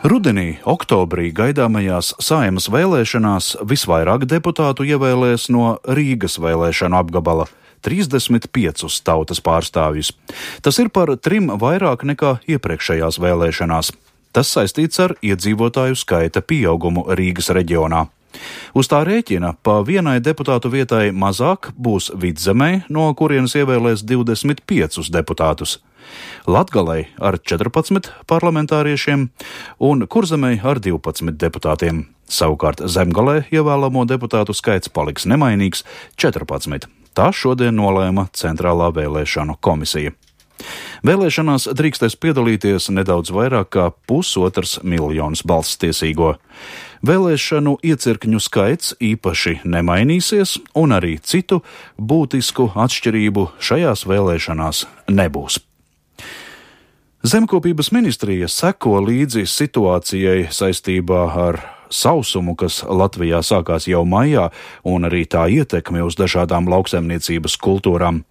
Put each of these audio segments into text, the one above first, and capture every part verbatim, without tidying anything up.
Rudenī, oktobrī gaidāmajās Saeimas vēlēšanās visvairāk deputātu ievēlēs no Rīgas vēlēšanu apgabala – trīsdesmit piecus tautas pārstāvjus. Tas ir par trim vairāk nekā iepriekšējās vēlēšanās. Tas saistīts ar iedzīvotāju skaita pieaugumu Rīgas reģionā. Uz tā rēķina pa vienai deputātu vietai mazāk būs Vidzemē, no kurienes ievēlēs divdesmit piecus deputātus. Latgalei ar četrpadsmit parlamentāriešiem un Kurzemei ar divpadsmit deputātiem. Savukārt Zemgalē ievēlamo deputātu skaits paliks nemainīgs – četrpadsmit. Tā šodien nolēma Centrālā vēlēšanu komisija. Vēlēšanās drīkstēs piedalīties nedaudz vairāk kā pusotrs miljons balsstiesīgo. Vēlēšanu iecirkņu skaits īpaši nemainīsies, un arī citu būtisku atšķirību šajās vēlēšanās nebūs. Zemkopības ministrija seko līdzi situācijai saistībā ar sausumu, kas Latvijā sākās jau maijā, un arī tā ietekmi uz dažādām lauksaimniecības kultūrām.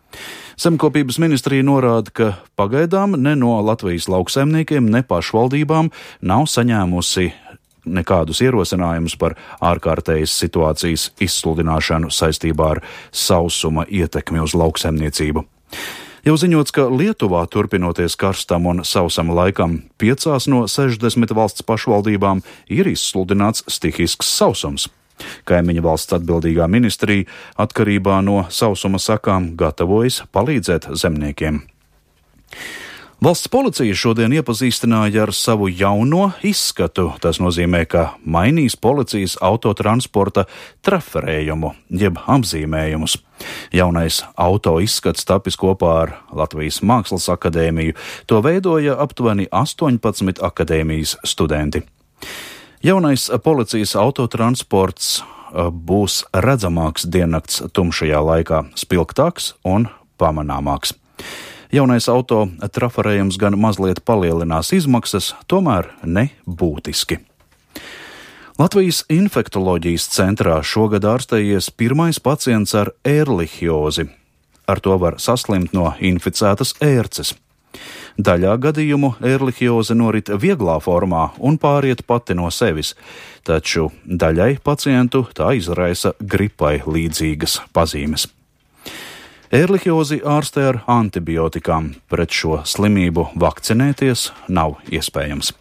Zemkopības ministrija norāda, ka pagaidām ne no Latvijas lauksaimniekiem, ne pašvaldībām nav saņēmusi nekādus ierosinājumus par ārkārtējas situācijas izsludināšanu saistībā ar sausuma ietekmi uz lauksaimniecību. Jau ziņots, ka Lietuvā turpinoties karstam un sausam laikam, piecās no sešdesmit valsts pašvaldībām ir izsludināts stihisks sausums. Kaimiņu valsts atbildīgā ministrija atkarībā no sausuma sakām gatavojas palīdzēt zemniekiem. Valsts policija šodien iepazīstināja ar savu jauno izskatu. Tas nozīmē, ka mainīs policijas autotransporta traferējumu, jeb apzīmējumus. Jaunais auto izskats tapis kopā ar Latvijas Mākslas akadēmiju. To veidoja aptuveni astoņpadsmit akadēmijas studenti. Jaunais policijas autotransports būs redzamāks diennakts tumšajā laikā, spilgtāks un pamanāmāks. Jaunais auto trafarējums gan mazliet palielinās izmaksas, tomēr ne būtiski. Latvijas infektoloģijas centrā šogad ārstējies pirmais pacients ar ērlihiozi. Ar to var saslimt no inficētas ērces. Daļā gadījumu ērlihioze norit vieglā formā un pāriet pati no sevis, taču daļai pacientu tā izraisa gripai līdzīgas pazīmes. Ērlihiozi ārstē ar antibiotikām, pret šo slimību vakcinēties nav iespējams.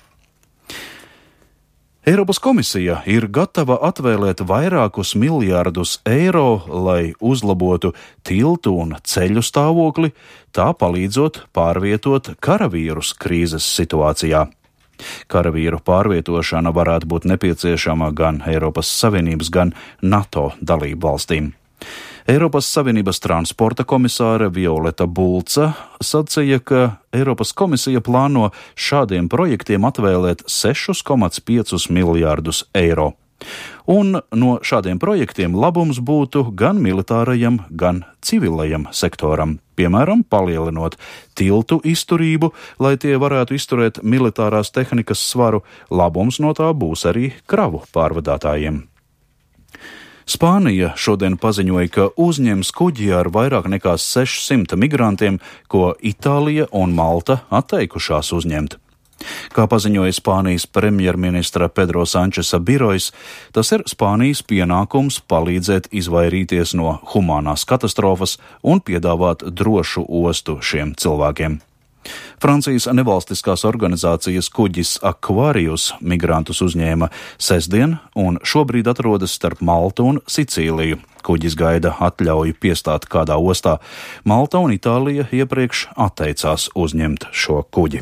Eiropas komisija ir gatava atvēlēt vairākus miljārdus eiro, lai uzlabotu tiltu un ceļu stāvokli, tā palīdzot pārvietot karavīrus krīzes situācijā. Karavīru pārvietošana varētu būt nepieciešama gan Eiropas Savienības, gan NATO dalību valstīm. Eiropas Savienības transporta komisāre Violeta Bulca sacīja, ka Eiropas komisija plāno šādiem projektiem atvēlēt sešus komats piecus miljārdus eiro. Un no šādiem projektiem labums būtu gan militārajam, gan civilajam sektoram, piemēram, palielinot tiltu izturību, lai tie varētu izturēt militārās tehnikas svaru. Labums no tā būs arī kravu pārvadātājiem. Spānija šodien paziņoja, ka uzņems kuģi ar vairāk nekā sešsimt migrantiem, ko Itālija un Malta atteikušās uzņemt. Kā paziņoja Spānijas premjerministra Pedro Sančesa birojs, tas ir Spānijas pienākums palīdzēt izvairīties no humānās katastrofas un piedāvāt drošu ostu šiem cilvēkiem. Francijas nevalstiskās organizācijas kuģis Aquarius migrantus uzņēma sestdien un šobrīd atrodas starp Maltu un Sicīliju. Kuģis gaida atļauju piestāt kādā ostā. Malta un Itālija iepriekš atteicās uzņemt šo kuģi.